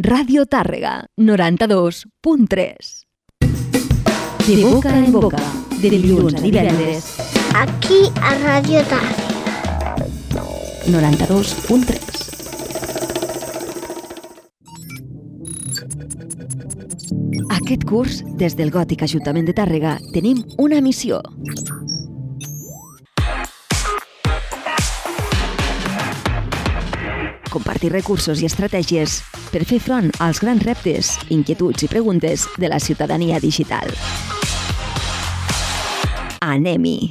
Ràdio Tàrrega, 92.3. De boca en boca, de dilluns a divendres. Aquí a Ràdio Tàrrega. 92.3. Aquest curs, des del Gòtic Ajuntament de Tàrrega, tenim una missió. Compartir recursos i estratègies per fer front als grans reptes, inquietuds i preguntes de la ciutadania digital. Anem-hi!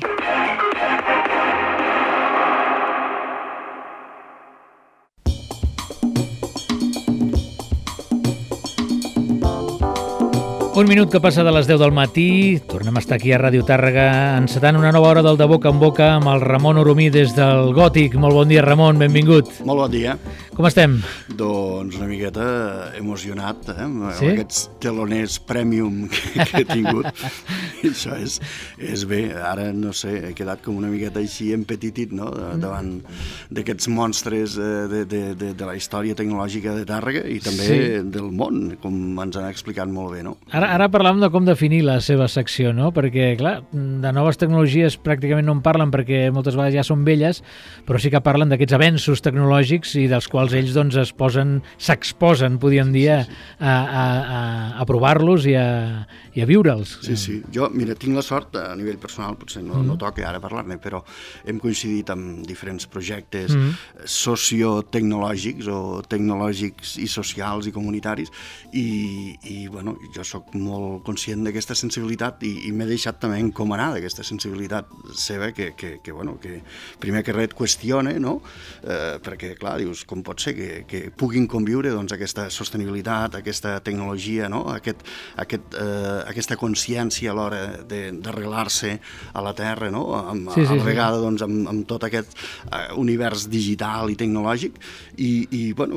Un minut que passa de les 10 del matí, tornem a estar aquí a Ràdio Tàrrega encetant una nova hora del De Boca en Boca amb el Ramon Oromí des del Gòtic. Molt bon dia, Ramon, benvingut. Molt bon dia. Com estem? Doncs una miqueta emocionat, amb sí? Aquests teloners premium que he tingut. Això és bé. Ara, no sé, he quedat com una miqueta així empetitit, no?, davant d'aquests monstres de la història tecnològica de Tàrrega i també del món, com ens han explicat molt bé, no? Ara parlàvem de com definir la seva secció, no? Perquè, clar, de noves tecnologies pràcticament no en parlen perquè moltes vegades ja són velles, però sí que parlen d'aquests avenços tecnològics i dels quals ells doncs s'exposen, podríem dir, a provar-los i a viure'ls. Sí. Jo, mira, tinc la sort, a nivell personal, potser no toca ara parlar-ne, però hem coincidit amb diferents projectes sociotecnològics o tecnològics i socials i comunitaris i bueno, jo sóc molt conscient d'aquesta sensibilitat i m'he deixat també encomanar d'aquesta sensibilitat seva que primer que res et qüestiona, no? Perquè, clar, dius, com pot ser que puguin conviure doncs, aquesta sostenibilitat, aquesta tecnologia, no? Aquesta consciència a l'hora d'arrelar-se a la Terra, no? A la vegada doncs, amb tot aquest univers digital i tecnològic i bueno,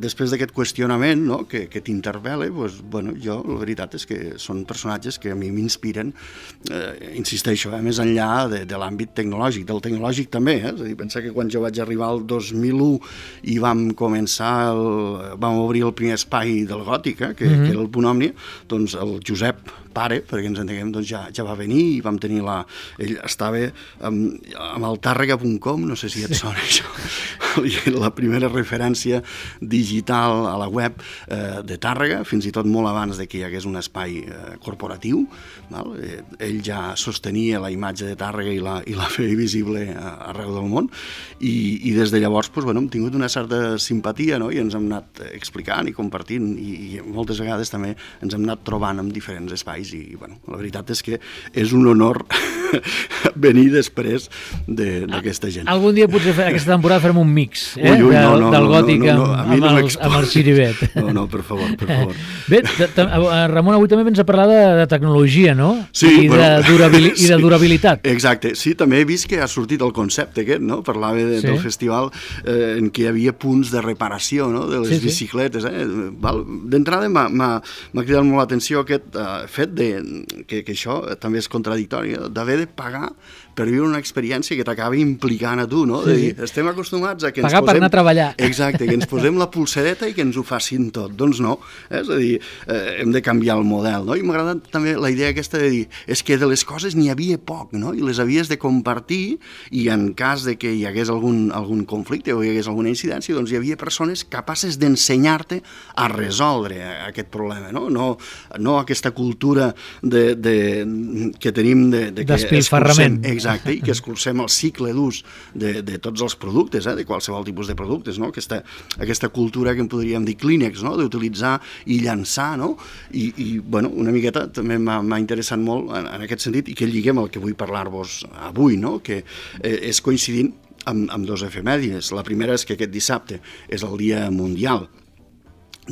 després d'aquest qüestionament, no? que t'interpel·la, doncs, bueno, jo la veritat és que són personatges que a mi m'inspiren, insisteixo, més enllà de l'àmbit tecnològic, del tecnològic també, és a dir, pensa que quan jo vaig arribar al 2001 i vam obrir el primer espai del Gòtic, que era el Punt Òmnia, doncs el Josep pare, perquè ens entenguem, doncs ja va venir i vam tenir ell estava amb el Tàrrega.com, no sé si et sona això, la primera referència digital a la web de Tàrrega, fins i tot molt abans de que hi hagués un espai corporatiu, val? Ell ja sostenia la imatge de Tàrrega i la feia visible arreu del món i des de llavors doncs, hem tingut una certa simpatia, no? I ens hem anat explicant i compartint i moltes vegades també ens hem anat trobant en diferents espais i bueno, la veritat és que és un honor venir després d'aquesta gent. Algun dia potser aquesta temporada farem un mix del Gòtic amb el Xiribet. No, per favor. Bé, Ramon, avui també vens a parlar de tecnologia, no? Sí. I de durabilitat. Exacte. Sí, també he vist que ha sortit el concepte aquest, no? Parlava del festival en què hi havia punts de reparació, no? De les bicicletes. D'entrada m'ha cridat molt l'atenció aquest fet que això també és contradictori, d'haver de pagar per viure una experiència que t'acaba implicant a tu, no? De dir, estem acostumats a que ens pagar per anar a treballar. Exacte, que ens posem la pulsereta i que ens ho facin tot. Doncs no, és a dir, hem de canviar el model, no? I m'ha agradat també la idea aquesta de dir, és que de les coses n'hi havia poc, no? I les havies de compartir i en cas de que hi hagués algun conflicte o hi hagués alguna incidència, doncs hi havia persones capaces d'ensenyar-te a resoldre aquest problema, no? No aquesta cultura que tenim de despilfarrament. Exacte, i que escurcem el cicle d'ús de tots els productes, de qualsevol tipus de productes, no? Aquesta cultura que en podríem dir Kleenex, no? D'utilitzar i llançar, no? I bueno, una miqueta també m'ha interessat molt en aquest sentit i que lliguem el que vull parlar-vos avui, no? Que és coincidint amb dos efemèrides. La primera és que aquest dissabte és el Dia Mundial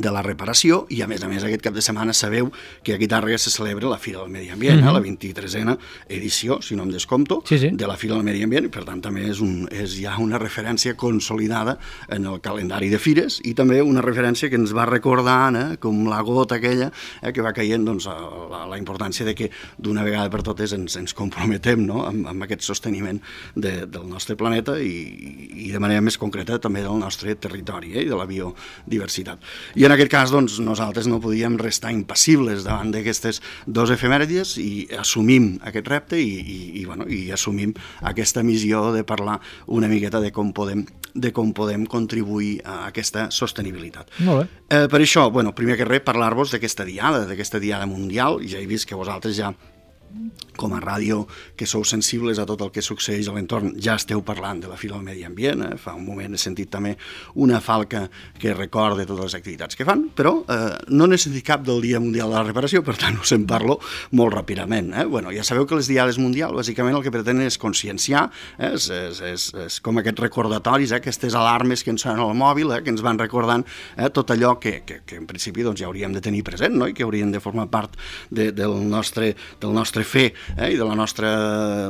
de la reparació i a més aquest cap de setmana sabeu que aquí a Tàrrega se celebra la Fira del Medi Ambient, la 23a edició, si no em descompto, de la Fira del Medi Ambient i per tant també és ja una referència consolidada en el calendari de fires i també una referència que ens va recordant com la gota aquella que va caient doncs, la importància de que d'una vegada per totes ens comprometem, no? amb aquest sosteniment del nostre planeta i de manera més concreta també del nostre territori i de la biodiversitat. I en aquest cas, doncs, nosaltres no podíem restar impassibles davant d'aquestes dues efemèrides i assumim aquest repte i assumim aquesta missió de parlar una miqueta de com podem contribuir a aquesta sostenibilitat. Molt bé. Per això, primer que res, parlar-vos d'aquesta diada mundial. Ja he vist que vosaltres ja, com a ràdio, que sou sensibles a tot el que succeeix a l'entorn, ja esteu parlant de la Fira del Medi Ambient. Fa un moment he sentit també una falca que recorda totes les activitats que fan, però no n'he sentit cap del Dia Mundial de la Reparació, per tant us en parlo molt ràpidament. Ja sabeu que les diades mundials bàsicament el que pretenen és conscienciar, és com aquests recordatoris, aquestes alarmes que ens sonen al mòbil, que ens van recordant tot allò que en principi ja hauríem de tenir present, no? I que haurien de formar part del nostre fer i de la nostra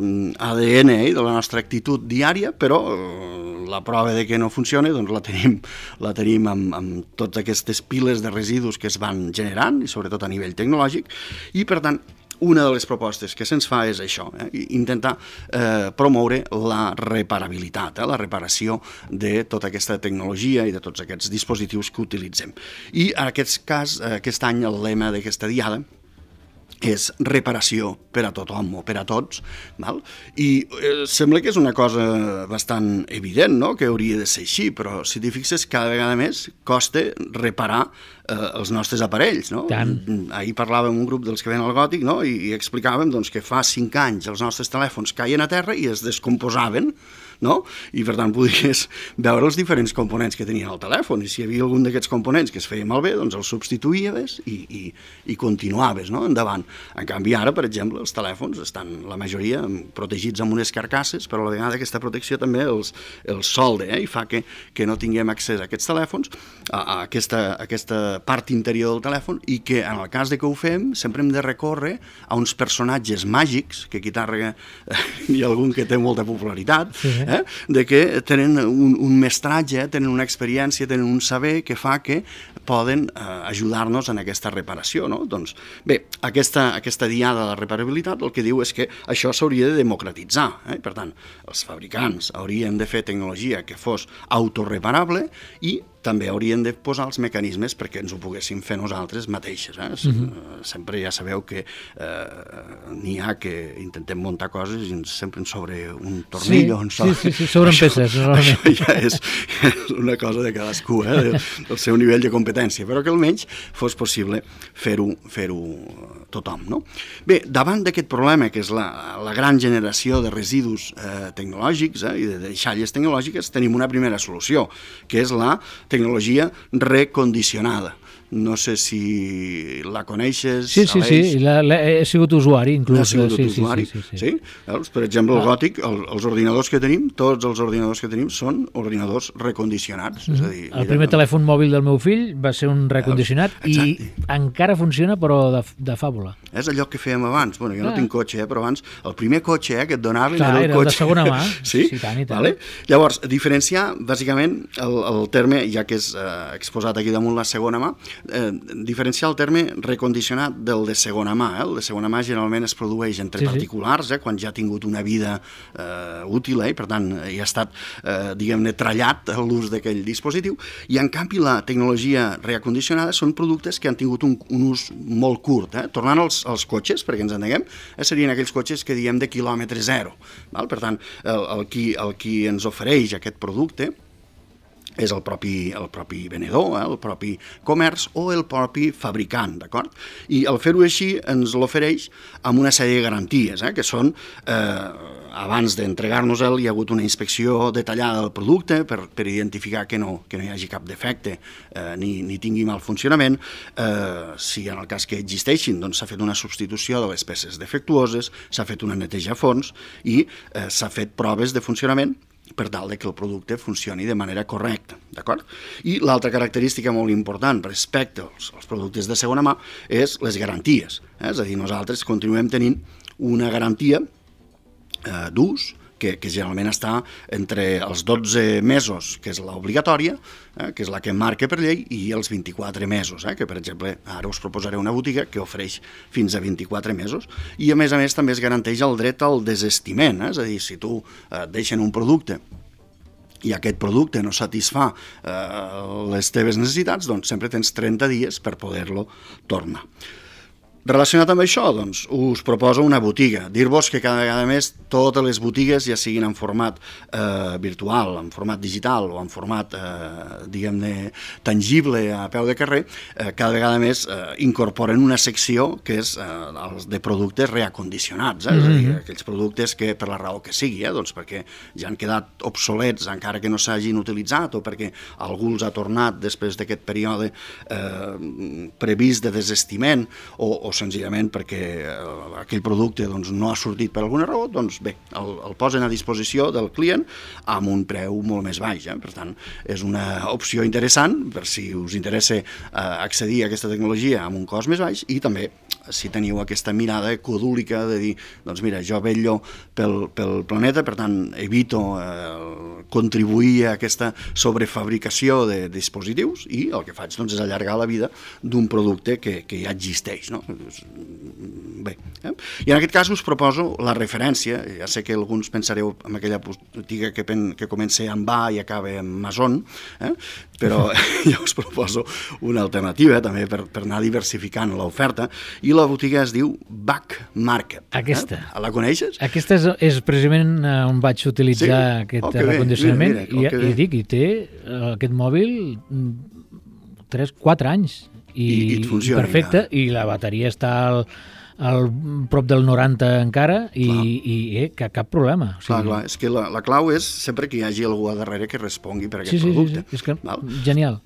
ADN i de la nostra actitud diària, però la prova de que no funciona doncs la tenim amb totes aquestes piles de residus que es van generant, i sobretot a nivell tecnològic, i per tant una de les propostes que se'ns fa és això, intentar promoure la reparabilitat, la reparació de tota aquesta tecnologia i de tots aquests dispositius que utilitzem. I en aquest any el lema d'aquesta diada és reparació per a tothom o per a tots, val? I sembla que és una cosa bastant evident, no?, que hauria de ser així, però si t'hi fixes, cada vegada més costa reparar els nostres aparells, no? Ahir parlàvem amb un grup dels que ven al Gòtic, no?, i explicàvem doncs, que fa 5 anys els nostres telèfons caien a terra i es descomposaven, no? I per tant podries veure els diferents components que tenien el telèfon, i si hi havia algun d'aquests components que es feia malbé, doncs els substituïes i continuaves, no?, endavant. En canvi ara, per exemple, els telèfons estan la majoria protegits amb unes carcasses, però a la vegada aquesta protecció també els solda, i fa que no tinguem accés a aquests telèfons, a aquesta part interior del telèfon, i que en el cas de que ho fem sempre hem de recórrer a uns personatges màgics, que aquí tàrrega hi ha algun que té molta popularitat, de que tenen un mestratge, tenen una experiència, tenen un saber que fa que poden ajudar-nos en aquesta reparació, no? Doncs bé, aquesta diada de la reparabilitat el que diu és que això s'hauria de democratitzar, per tant, els fabricants haurien de fer tecnologia que fos autoreparable i també haurien de posar els mecanismes perquè ens ho poguéssim fer nosaltres mateixes. Sempre ja sabeu que n'hi ha que intentem muntar coses i sempre sobre un tornill o un sol. Sí, sobren peces. Això ja és una cosa de cadascú, del seu nivell de competència, però que almenys fos possible fer-ho tothom, no? Bé, davant d'aquest problema, que és la gran generació de residus tecnològics i de deixalles tecnològiques, tenim una primera solució, que és la tecnologia recondicionada. No sé si la coneixes, Aleix. Sí, he sigut usuari, inclús. Has sigut usuari, sí? Per exemple, el Gòtic, els ordinadors que tenim, tots els ordinadors que tenim són ordinadors recondicionats. És a dir, el primer telèfon mòbil del meu fill va ser un recondicionat i encara funciona, però de fàbula. És allò que fèiem abans. Jo no tinc cotxe, però abans el primer cotxe que et donaven era el cotxe. De segona mà. Sí, tant i tant. Llavors, diferenciar, bàsicament, el terme, ja que és exposat aquí damunt la segona mà, diferenciar el terme recondicionat del de segona mà. El de segona mà generalment es produeix entre particulars, quan ja ha tingut una vida útil, per tant ja ha estat, diguem-ne, trallat l'ús d'aquell dispositiu, i en canvi la tecnologia reacondicionada són productes que han tingut un ús molt curt. Tornant als cotxes, perquè ens entenguem, serien aquells cotxes que diem de quilòmetre zero. Per tant, el qui ens ofereix aquest producte és el propi venedor, el propi comerç o el propi fabricant, d'acord? I el fer-ho així ens l'ofereix amb una sèrie de garanties, que són, abans d'entregar-nos-el, hi ha hagut una inspecció detallada del producte per identificar que no hi hagi cap defecte ni tingui mal funcionament. Si en el cas que existeixin, doncs s'ha fet una substitució de les peces defectuoses, s'ha fet una neteja a fons i s'ha fet proves de funcionament per tal que el producte funcioni de manera correcta, d'acord? I l'altra característica molt important respecte als productes de segona mà és les garanties. És a dir, nosaltres continuem tenint una garantia d'ús que generalment està entre els 12 mesos, que és l'obligatòria, que és la que marca per llei, i els 24 mesos, que per exemple ara us proposaré una botiga que ofereix fins a 24 mesos, i a més també es garanteix el dret al desestiment, és a dir, si tu et deixen un producte i aquest producte no satisfà les teves necessitats, doncs sempre tens 30 dies per poder-lo tornar. Relacionat amb això, doncs, us proposo una botiga. Dir-vos que cada vegada més totes les botigues, ja siguin en format virtual, en format digital o en format, diguem-ne, tangible a peu de carrer, cada vegada més incorporen una secció que és de productes reacondicionats, és a dir, aquells productes que, per la raó que sigui, doncs perquè ja han quedat obsolets encara que no s'hagin utilitzat o perquè algú els ha tornat després d'aquest període previst de desestiment o senzillament perquè aquell producte doncs, no ha sortit per alguna raó, doncs bé, el posen a disposició del client amb un preu molt més baix. Per tant, és una opció interessant per si us interessa accedir a aquesta tecnologia amb un cost més baix i també si teniu aquesta mirada codúlica de dir, doncs mira, jo vetllo pel planeta, per tant evito contribuir a aquesta sobrefabricació de dispositius i el que faig doncs, és allargar la vida d'un producte que ja existeix, no? Bé, i en aquest cas us proposo la referència, ja sé que alguns pensareu en aquella botiga que comença amb A i acaba amb Mason, però ja us proposo una alternativa també per anar diversificant l'oferta i la botiga es diu Back Market. Aquesta. La coneixes? Aquesta és precisament on vaig utilitzar aquest recondicionament i té aquest mòbil 3-4 anys. I funciona, perfecte, i la bateria està al prop del 90 encara i cap problema. O sigui... Clar, és que la clau és sempre que hi hagi algú a darrere que respongui per aquest producte. Sí, és que genial.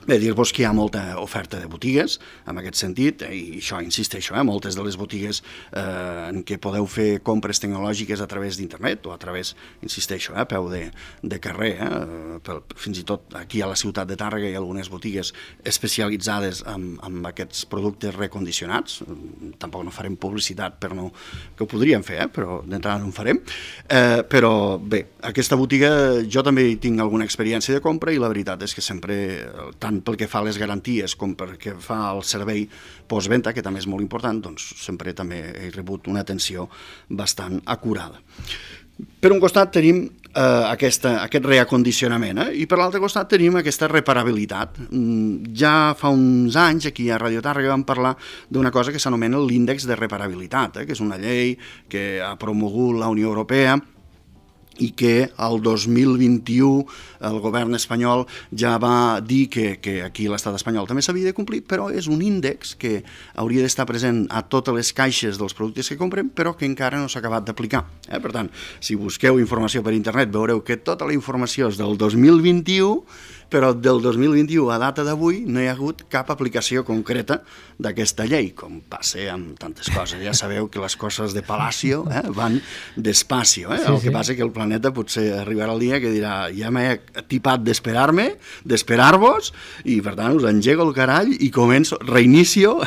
Bé, dir-vos que hi ha molta oferta de botigues, en aquest sentit, i això, insisteixo, moltes de les botigues en què podeu fer compres tecnològiques a través d'internet o a través, insisteixo, a peu de carrer, fins i tot aquí a la ciutat de Tàrrega hi ha algunes botigues especialitzades en aquests productes recondicionats, tampoc no farem publicitat per no, que ho podríem fer, però d'entrada no en farem, però bé, aquesta botiga jo també tinc alguna experiència de compra i la veritat és que sempre, tant pel que fa a les garanties com pel que fa al servei postventa, que també és molt important, doncs sempre també he rebut una atenció bastant acurada. Per un costat tenim aquest reacondicionament i per l'altre costat tenim aquesta reparabilitat. Ja fa uns anys aquí a Radio Tàrrega vam parlar d'una cosa que s'anomena l'índex de reparabilitat, que és una llei que ha promogut la Unió Europea i que el 2021 el govern espanyol ja va dir que aquí a l'estat espanyol també s'havia de complir, però és un índex que hauria d'estar present a totes les caixes dels productes que comprem, però que encara no s'ha acabat d'aplicar. Per tant, si busqueu informació per internet veureu que tota la informació és del 2021, però del 2021 a data d'avui no hi ha hagut cap aplicació concreta d'aquesta llei, com passa amb tantes coses. Ja sabeu que les coses de Palacio van despacio. El que passa que el planeta potser arribarà el dia que dirà ja m'he tipat d'esperar-vos i per tant us engego el carall i començo, reinicio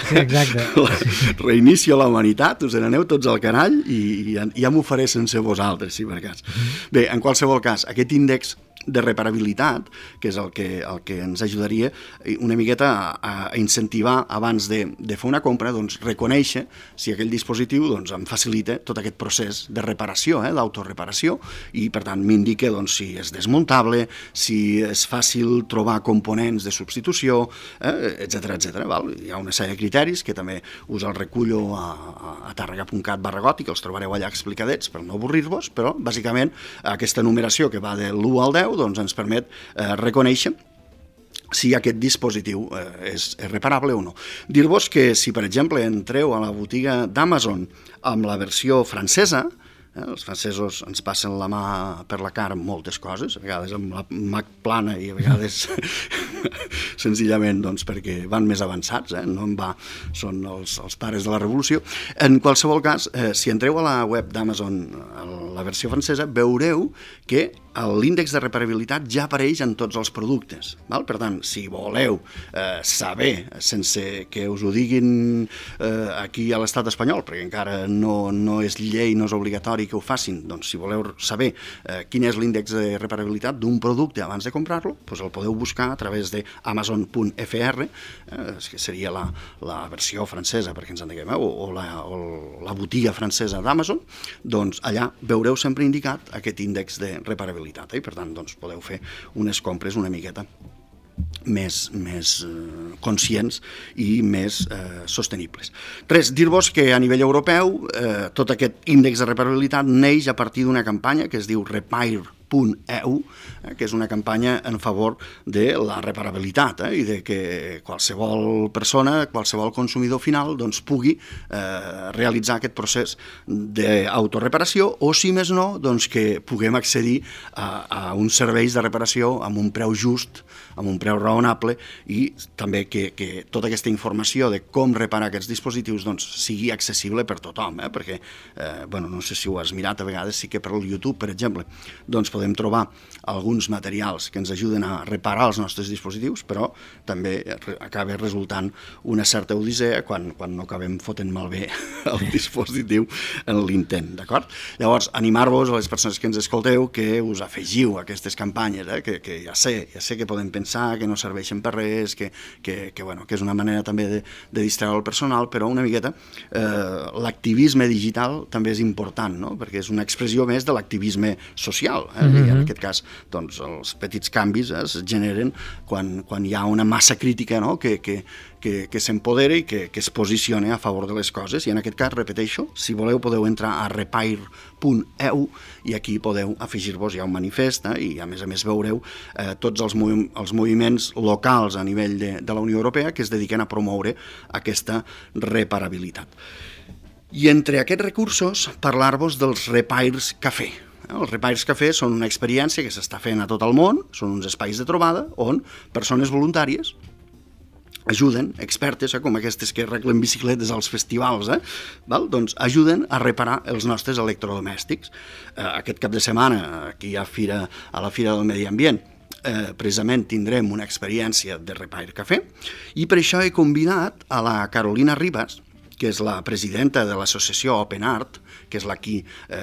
la humanitat, us n'aneu tots al carall i ja m'ho faré sense vosaltres, si per cas. Bé, en qualsevol cas, aquest índex de reparabilitat, que és el que ens ajudaria una miqueta a incentivar abans de fer una compra, doncs reconèixer si aquell dispositiu doncs, em facilita tot aquest procés de reparació, d'autoreparació, i per tant m'indica doncs, si és desmuntable, si és fàcil trobar components de substitució, etc. Hi ha una sèrie de criteris que també us els recullo a tarrega.cat/goti, que els trobareu allà explicadets per no avorrir-vos, però bàsicament aquesta numeració que va de l'1 al 10 doncs ens permet reconèixer si aquest dispositiu és reparable o no. Dir-vos que si, per exemple, entreu a la botiga d'Amazon amb la versió francesa, els francesos ens passen la mà per la cara amb moltes coses, a vegades amb la mà plana i a vegades senzillament doncs, perquè van més avançats, no en va, són els pares de la revolució. En qualsevol cas, si entreu a la web d'Amazon, a la versió francesa, veureu que l'índex de reparabilitat ja apareix en tots els productes. Per tant, si voleu saber, sense que us ho diguin aquí a l'estat espanyol, perquè encara no és llei, no és obligatori que ho facin, doncs si voleu saber quin és l'índex de reparabilitat d'un producte abans de comprar-lo, doncs el podeu buscar a través de amazon.fr, que seria la versió francesa, perquè ens entenguem, o la botiga francesa d'Amazon, doncs allà veureu sempre indicat aquest índex de reparabilitat. reparabilitat, i per tant doncs, podeu fer unes compres una miqueta més conscients i més sostenibles. Res, dir-vos que a nivell europeu tot aquest índex de reparabilitat neix a partir d'una campanya que es diu Repair.eu, que és una campanya en favor de la reparabilitat i de que qualsevol persona, qualsevol consumidor final doncs, pugui realitzar aquest procés d'autoreparació o, si més no, doncs, que puguem accedir a uns serveis de reparació amb un preu just, amb un preu raonable, i també que tota aquesta informació de com reparar aquests dispositius doncs, sigui accessible per tothom, perquè no sé si ho has mirat a vegades, sí que per YouTube, per exemple, doncs podem trobar alguns materials que ens ajuden a reparar els nostres dispositius, però també acaba resultant una certa odissea quan no acabem fotent malbé el dispositiu en l'intent, d'acord? Llavors, animar-vos a les persones que ens escolteu que us afegiu a aquestes campanyes, que ja sé que podem pensar que no serveixen per res, que és una manera també de distreure el personal, però una miqueta l'activisme digital també és important, no? Perquè és una expressió més de l'activisme social, i en aquest cas doncs, els petits canvis es generen quan hi ha una massa crítica, no? que s'empodera i que es posiciona a favor de les coses, i en aquest cas, repeteixo, si voleu podeu entrar a repair.eu i aquí podeu afegir-vos ja un manifest, i a més veureu tots els moviments locals a nivell de la Unió Europea que es dediquen a promoure aquesta reparabilitat. I entre aquests recursos, parlar-vos dels Repairs Café. Els Repairs Café són una experiència que s'està fent a tot el món, són uns espais de trobada on persones voluntàries ajuden, expertes, com aquestes que arreglen bicicletes als festivals, doncs ajuden a reparar els nostres electrodomèstics. Aquest cap de setmana, aquí a la Fira del Medi Ambient, precisament tindrem una experiència de Repair Café, i per això he convidat a la Carolina Ribas, que és la presidenta de l'associació Open Art, que és la qui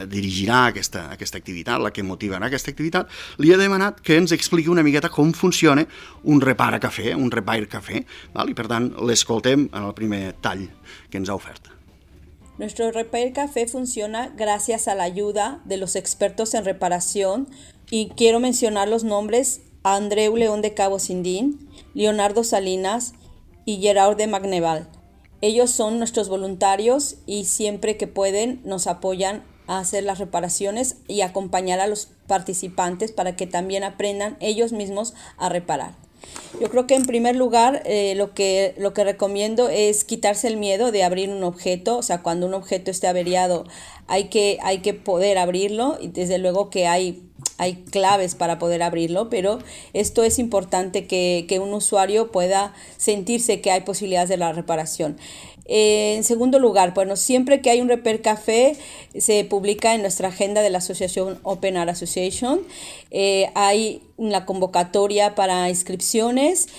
dirigirà aquesta activitat, la que motivarà aquesta activitat. Li he demanat que ens expliqui una miqueta com funciona un Repair Café, i per tant l'escoltem en el primer tall que ens ha ofert. Nuestro Repair Café funciona gracias a la ayuda de los expertos en reparación, y quiero mencionar los nombres: Andreu León de Cabo Sindín, Leonardo Salinas y Gerard de Magneval. Ellos son nuestros voluntarios y siempre que pueden nos apoyan a hacer las reparaciones y acompañar a los participantes para que también aprendan ellos mismos a reparar. Yo creo que en primer lugar lo que recomiendo es quitarse el miedo de abrir un objeto. O sea, cuando un objeto esté averiado hay que poder abrirlo, y desde luego que hay claves para poder abrirlo, pero esto es importante que un usuario pueda sentirse que hay posibilidades de la reparación. En segundo lugar, bueno, siempre que hay un Repair Café se publica en nuestra agenda de la asociación Open Art Association. Hay una convocatoria para inscripciones.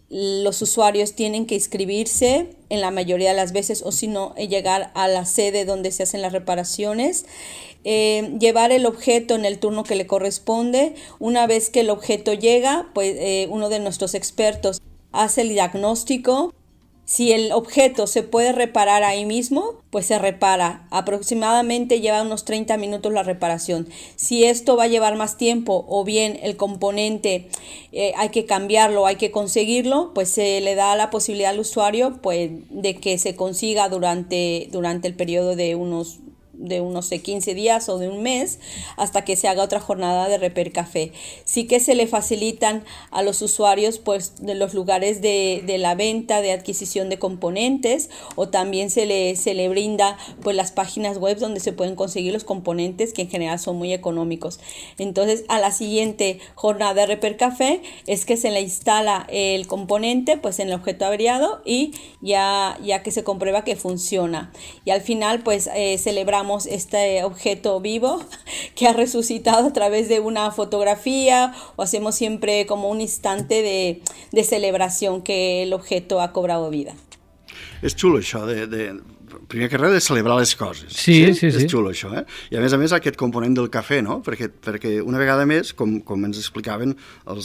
Los usuarios tienen que inscribirse en la mayoría de las veces, o si no, llegar a la sede donde se hacen las reparaciones. Llevar el objeto en el turno que le corresponde. Una vez que el objeto llega, pues uno de nuestros expertos hace el diagnóstico. Si el objeto se puede reparar ahí mismo, pues se repara. Aproximadamente lleva unos 30 minutos la reparación. Si esto va a llevar más tiempo, o bien el componente hay que cambiarlo, hay que conseguirlo, pues se le da la posibilidad al usuario pues, de que se consiga durante el periodo de unos 15 días o de un mes, hasta que se haga otra jornada de Repair Café. Sí que se le facilitan a los usuarios pues de los lugares de la venta, de adquisición de componentes, o también se le brinda pues las páginas web donde se pueden conseguir los componentes, que en general son muy económicos. Entonces, a la siguiente jornada de Repair Café es que se le instala el componente pues en el objeto averiado, y ya que se comprueba que funciona. Y al final pues celebramos este objeto vivo que ha resucitado a través de una fotografía, o hacemos siempre como un instante de celebración que el objeto ha cobrado vida. És xulo això primer que res de celebrar les coses. Sí. És xulo això, I a més aquest component del cafè, no? Perquè una vegada més, com ens explicaven el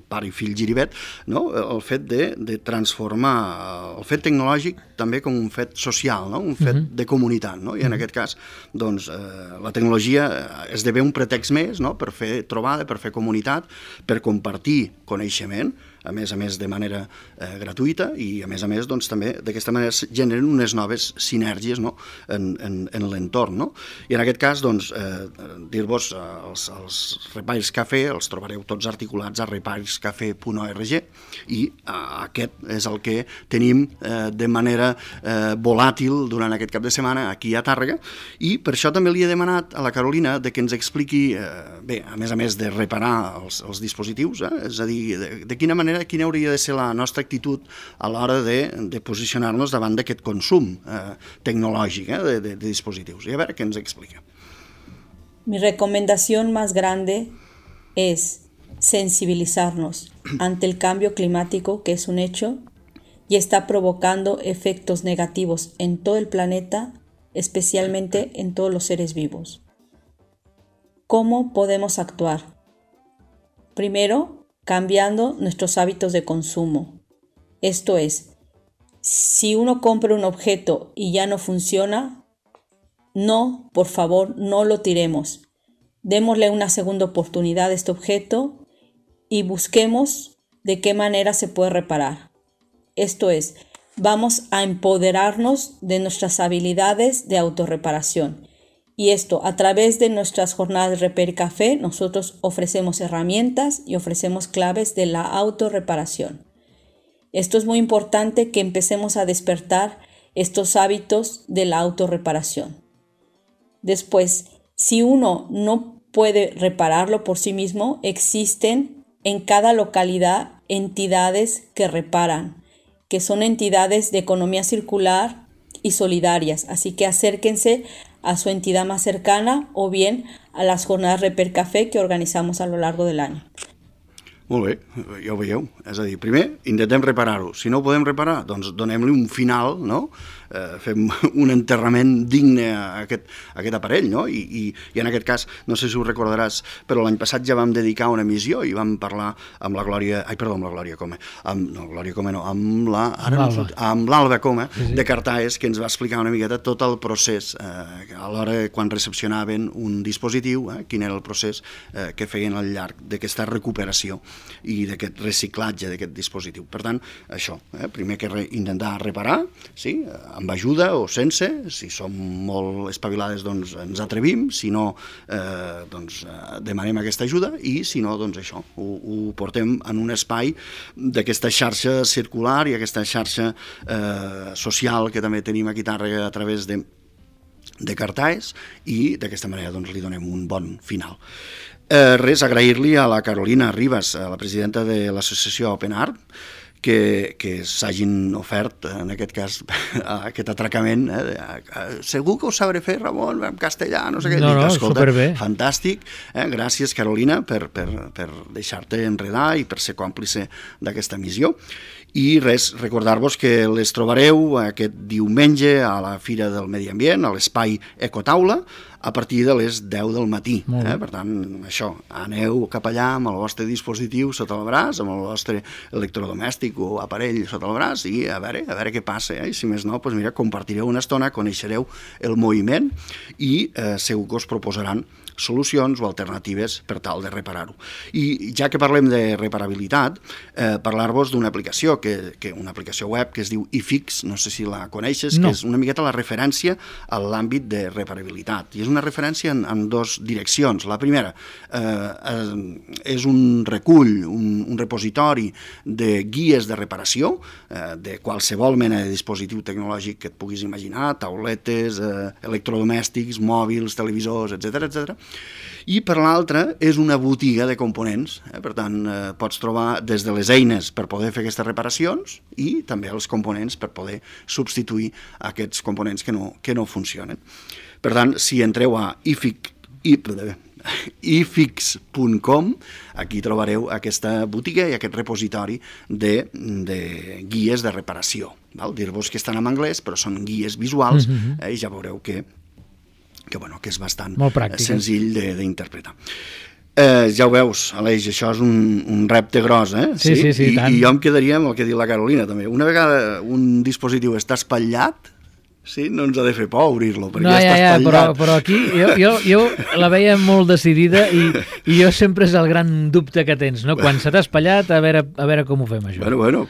pare i fill Giribet, no? El fet de transformar el fet tecnològic també com un fet social, no? Un fet de comunitat, no? I en aquest cas, doncs, la tecnologia esdevé un pretext més, no? Per fer trobada, per fer comunitat, per compartir coneixement, a més de manera gratuïta i a més, doncs, també d'aquesta manera generen unes noves sinergies, no? en l'entorn. No? I en aquest cas, doncs, dir-vos, els repairs cafè els trobareu tots articulats a repairscafè.org i aquest és el que tenim de manera volàtil durant aquest cap de setmana aquí a Tàrrega i per això també li he demanat a la Carolina de que ens expliqui, bé, a més de reparar els dispositius, és a dir, de quina manera, quina hauria de ser la nostra actitud a l'hora de posicionar-nos davant d'aquest consum tecnològic de dispositius. I a veure què ens explica. Mi recomendación más grande es sensibilizarnos ante el cambio climático, que es un hecho, y está provocando efectos negativos en todo el planeta, especialmente en todos los seres vivos. ¿Cómo podemos actuar? Primero, cambiando nuestros hábitos de consumo. Esto es, si uno compra un objeto y ya no funciona, no, por favor, no lo tiremos. Démosle una segunda oportunidad a este objeto y busquemos de qué manera se puede reparar. Esto es, vamos a empoderarnos de nuestras habilidades de autorreparación. Y esto, a través de nuestras jornadas de Repair Café, nosotros ofrecemos herramientas y ofrecemos claves de la autorreparación. Esto es muy importante que empecemos a despertar estos hábitos de la autorreparación. Después, si uno no puede repararlo por sí mismo, existen en cada localidad entidades que reparan, que son entidades de economía circular y solidarias. Así que acérquense a su entidad más cercana o bien a las jornadas Repair Café que organizamos a lo largo del año. Molt bé, ja ho veieu. És a dir, primer, intentem reparar-ho. Si no ho podem reparar, doncs donem-li un final, no? Fem un enterrament digne a aquest aparell, no? I en aquest cas, no sé si ho recordaràs, però l'any passat ja vam dedicar una emissió i vam parlar amb la Glòria... amb l'Alba Coma, de Cartaes, que ens va explicar una miqueta tot el procés a l'hora quan recepcionaven un dispositiu, quin era el procés que feien al llarg d'aquesta recuperació i d'aquest reciclatge d'aquest dispositiu. Per tant, això, primer que intentar reparar, sí, amb ajuda o sense, si som molt espavilades doncs ens atrevim, si no doncs demanem aquesta ajuda i si no doncs això, ho portem en un espai d'aquesta xarxa circular i aquesta xarxa social que també tenim aquí a Tàrrega a través de Cartaes i d'aquesta manera doncs li donem un bon final. Res, agrair-li a la Carolina Ribas, la presidenta de l'associació Open Art, que s'hagin ofert, en aquest cas, aquest atracament. Segur que ho sabré fer, Ramon, en castellà, no sé què. No, superbé. Fantàstic. Gràcies, Carolina, per deixar-te enredar i per ser còmplice d'aquesta missió. I res, recordar-vos que les trobareu aquest diumenge a la Fira del Medi Ambient, a l'espai Ecotaula, a partir de les 10 del matí. Per tant, això, aneu cap allà amb el vostre dispositiu sota el braç, amb el vostre electrodomèstic o aparell sota el braç i a veure què passa. I si més no, doncs mira, compartireu una estona, coneixereu el moviment i segur que us proposaran solucions o alternatives per tal de reparar-ho. I ja que parlem de reparabilitat, parlar-vos d'una aplicació, una aplicació web que es diu iFix, no sé si la coneixes, que és una miqueta la referència a l'àmbit de reparabilitat. I és una referència en dues direccions. La primera és un recull, un repositori de guies de reparació de qualsevol mena de dispositiu tecnològic que et puguis imaginar, tauletes, electrodomèstics, mòbils, televisors, etc. I per l'altra és una botiga de components, per tant pots trobar des de les eines per poder fer aquestes reparacions i també els components per poder substituir aquests components que no funcionen. Per tant, si entreu a iFix, ifix.com, aquí trobareu aquesta botiga i aquest repositori de guies de reparació. Dir-vos que estan en anglès, però són guies visuals, i ja veureu que és bastant senzill d'interpretar. Ja ho veus, Aleix, això és un repte gros, eh? Sí, I jo em quedaria amb el que ha dit la Carolina, també. Una vegada un dispositiu està espatllat, sí, no ens ha de fer por obrir-lo, perquè està espatllat. Però aquí jo la veia molt decidida i jo sempre és el gran dubte que tens, no? Quan se t'ha espatllat, a veure com ho fem, això. Bueno,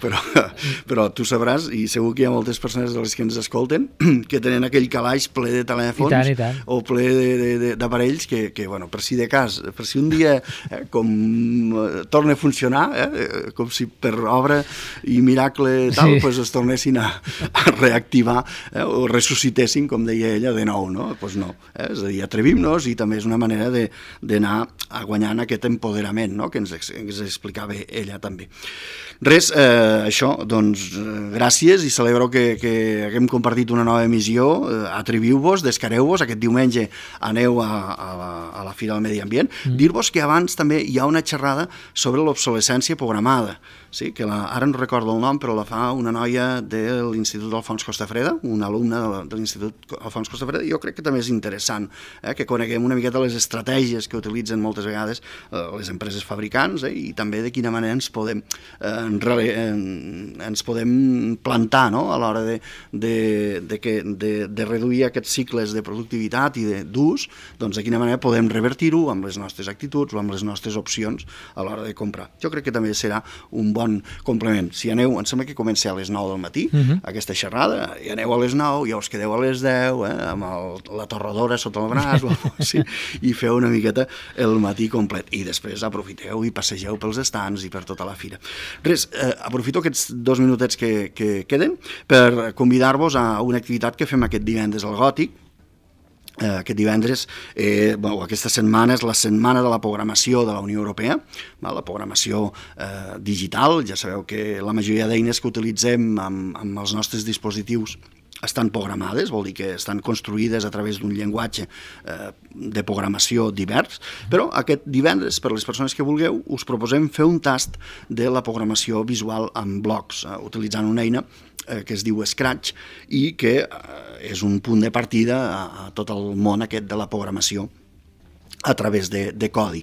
però tu sabràs, i segur que hi ha moltes persones de les que ens escolten, que tenen aquell calaix ple de telèfons I tant. o ple d'aparells que, per si de cas, per si un dia torna a funcionar, com si per obra i miracle tal, pues es tornessin a reactivar, o ressuscitessin, com deia ella, de nou, no? Doncs no, és a dir, atrevim-nos, i també és una manera d'anar guanyant aquest empoderament, no?, que ens explicava ella també. Res, això, doncs, gràcies, i celebro que haguem compartit una nova emissió. Atreviu-vos, descareu-vos, aquest diumenge aneu a la Fira del Medi Ambient. Dir-vos que abans també hi ha una xerrada sobre l'obsolescència programada, sí, que ara no recordo el nom, però la fa una noia de l'Institut Alfons Costafreda, una alumna de l'Institut Alfons Costafreda, i jo crec que també és interessant que coneguem una miqueta les estratègies que utilitzen moltes vegades les empreses fabricants, i també de quina manera ens podem plantar, no?, a l'hora de reduir aquests cicles de productivitat i d'ús, doncs de quina manera podem revertir-ho amb les nostres actituds o amb les nostres opcions a l'hora de comprar. Jo crec que també serà un bon complement. Si aneu, em sembla que comença a les 9 del matí, aquesta xerrada, i aneu a les 9, ja us quedeu a les 10, amb la torradora sota el braç, i feu una miqueta el matí complet. I després aprofiteu i passegeu pels estands i per tota la fira. Res, aprofito aquests 2 minutets que queden per convidar-vos a una activitat que fem aquest divendres al Gòtic. Aquest divendres, aquesta setmana és la setmana de la programació de la Unió Europea, la programació digital. Ja sabeu que la majoria d'eines que utilitzem amb els nostres dispositius estan programades, vol dir que estan construïdes a través d'un llenguatge de programació divers, però aquest divendres, per les persones que vulgueu, us proposem fer un tast de la programació visual en blocs, utilitzant una eina que es diu Scratch i que és un punt de partida a tot el món aquest de la programació a través de codi.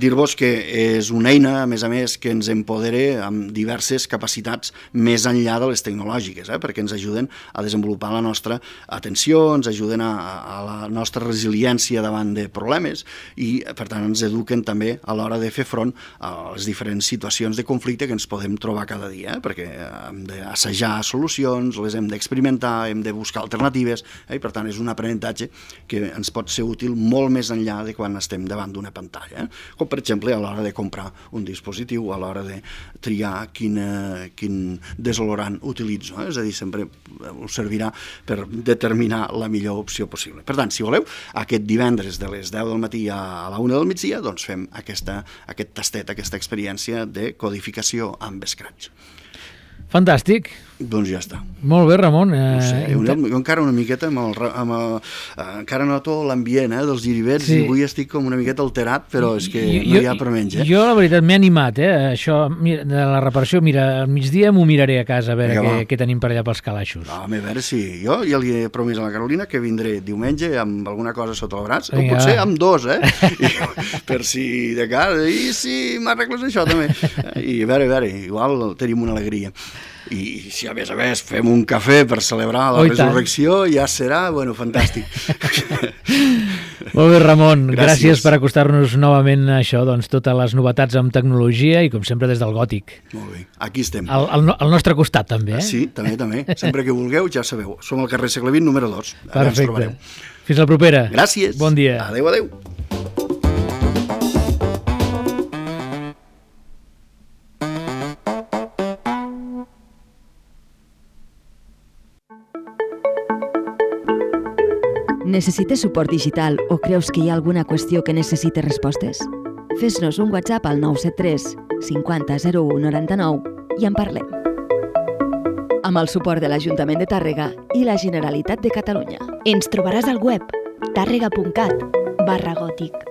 Dir-vos que és una eina, a més, que ens empodera amb diverses capacitats més enllà de les tecnològiques, perquè ens ajuden a desenvolupar la nostra atenció, ens ajuden a la nostra resiliència davant de problemes i, per tant, ens eduquen també a l'hora de fer front a les diferents situacions de conflicte que ens podem trobar cada dia, perquè hem d'assajar solucions, les hem d'experimentar, hem de buscar alternatives, i, per tant, és un aprenentatge que ens pot ser útil molt més enllà de quan estem davant d'una pantalla, com per exemple a l'hora de comprar un dispositiu, a l'hora de triar quin desolorant utilitzo, és a dir, sempre us servirà per determinar la millor opció possible. Per tant, si voleu, aquest divendres de les 10 del matí a la 1 del migdia, doncs fem aquest tastet, aquesta experiència de codificació amb Scratch. Fantàstic. Doncs ja està. Molt bé, Ramon. No sé, jo encara una miqueta encara noto l'ambient dels giribets, i avui estic com una miqueta alterat, però és que no hi ha per menys. Jo, la veritat, m'he animat, això de la reparació. Mira, al migdia m'ho miraré a casa, a veure què tenim per allà pels calaixos. A veure si jo ja li he promès a la Carolina que vindré diumenge amb alguna cosa sota el braç, o potser amb dos, per si de cas, i si m'arregles això també. I a veure, igual tenim una alegria. I si a més fem un cafè per celebrar la resurrecció, ja serà, fantàstic. Molt bé, Ramon, gràcies per acostar-nos novament a això, doncs totes les novetats amb tecnologia i com sempre des del Gòtic. Molt bé, aquí estem. Al nostre costat també, Sí, també. Sempre que vulgueu, ja sabeu, som al carrer Segle XX, número 2. Perfecte. Fins la propera. Gràcies. Bon dia. Adéu. Necessites suport digital o creus que hi ha alguna qüestió que necessite respostes? Fes-nos un WhatsApp al 973 50 01 99 i en parlem. Amb el suport de l'Ajuntament de Tàrrega i la Generalitat de Catalunya. Ens trobaràs al web tàrrega.cat/gòtic.